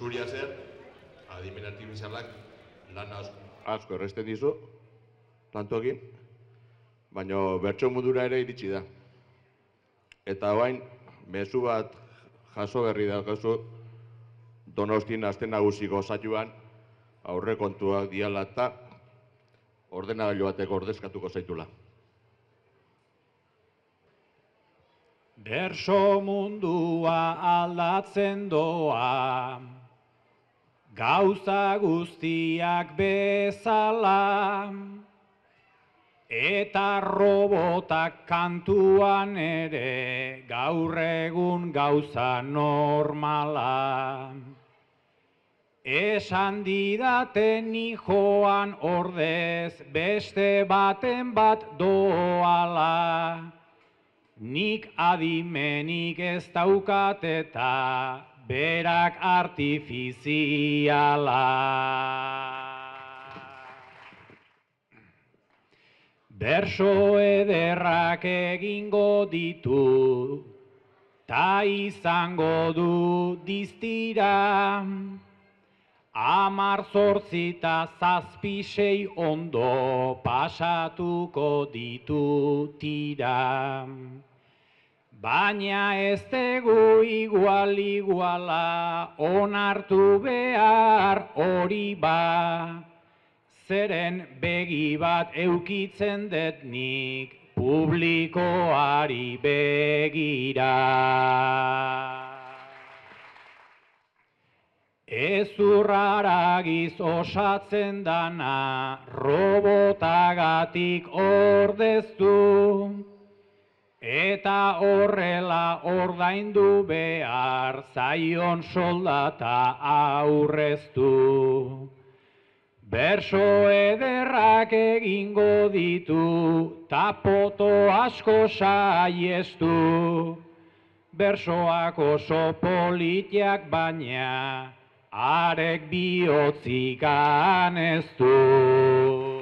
Zuria zer, adimen artifizialak lan asko erresten dizu, tantokin, baina bertso mundura ere iritsi da. Eta orain, mezu bat jaso berri daukazu, Donostin aste nagusiko saioan aurrekontuak diala eta ordenagailu batek ordezkatuko zaitula. Berso mundua aldatzen doa, gauza guztiak bezala, eta robotak kantuan ere gaur egun gauza normala. Esan didaten joan ordez beste baten bat doala, nik adimenik ez daukat eta berak artifiziala. Berso ederrak egingo ditu, ta izango du diztira, 10 eta 7 ondo pasatuko ditu tira. Baina ez dugu iguala onartu behar hori ba, zeren begi bat eukitzen dut nik publikoari begira. Ezurraragiz osatzen dana robotagatik ordeztu, eta horrela ordaindu behar zaion soldata aurreztu. Berso ederrak egingo ditu, ta poto asko saiestu. Bersoak oso politiak baina, arek bihotzik aneztu.